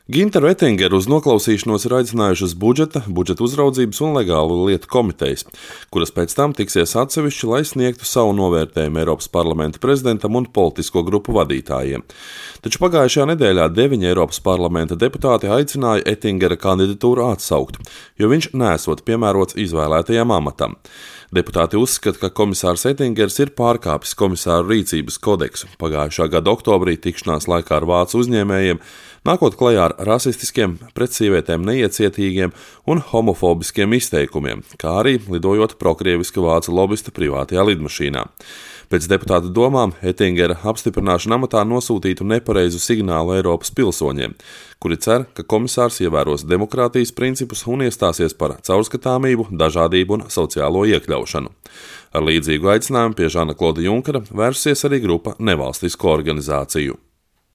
Ginteru Ettingeru uz noklausīšanos ir aicinājušas budžeta uzraudzības un legālu lietu komitejas, kuras pēc tam tiksies atsevišķi, lai sniegtu savu novērtējumu Eiropas parlamenta prezidentam un politisko grupu vadītājiem. Taču pagājušajā nedēļā 9 Eiropas parlamenta deputāti aicināja Ettingera kandidatūru atsaukt, jo viņš nesot piemērots izvēlētajam amatam. Deputāti uzskata, ka komisārs Ettingers ir pārkāpis komisāru rīcības kodeksu pagājušā gada oktobrī tikšanās laikā ar vācu uzņēmējiem, nākot klajā ar rasistiskiem, pret sievietēm neiecietīgiem un homofobiskiem izteikumiem, kā arī lidojot prokrieviska vācu lobista privātajā lidmašīnā. Pēc deputāta domām Ettingera apstiprināšana amatā nosūtītu nepareizu signālu Eiropas pilsoņiem, kuri cer, ka komisārs ievēros demokrātijas principus un iestāsies par caurskatāmību, dažādību un sociālo iekļaušanu. Ar līdzīgu aicinājumu pie Žana Klauda Junkera vērsies arī grupa nevalstisko organizāciju.